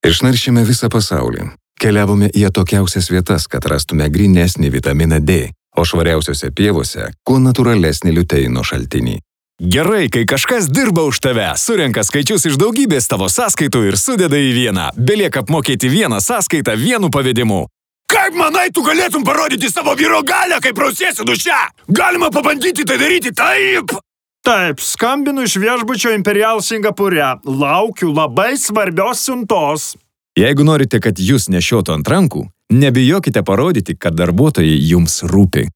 Išnaršėme visą pasaulį. Keliavome į atokiausias vietas, kad rastume grynesnį vitaminą D, o švariausiose pievose kuo natūralesnį liuteino šaltinį. Gerai, kai kažkas dirba už tave, surenka skaičius iš daugybės tavo sąskaitų ir sudeda į vieną. Belieka apmokėti vieną sąskaitą vienu pavedimu. Kaip manai, tu galėtum parodyti savo vyro galią, kai prausiesi duše? Galima pabandyti tai daryti taip. Taip, skambinu iš viešbučio Imperial Singapūre. Laukiu labai svarbios siuntos. Jeigu norite, kad jūs nešiotų ant rankų, nebijokite parodyti, kad darbuotojai jums rūpi.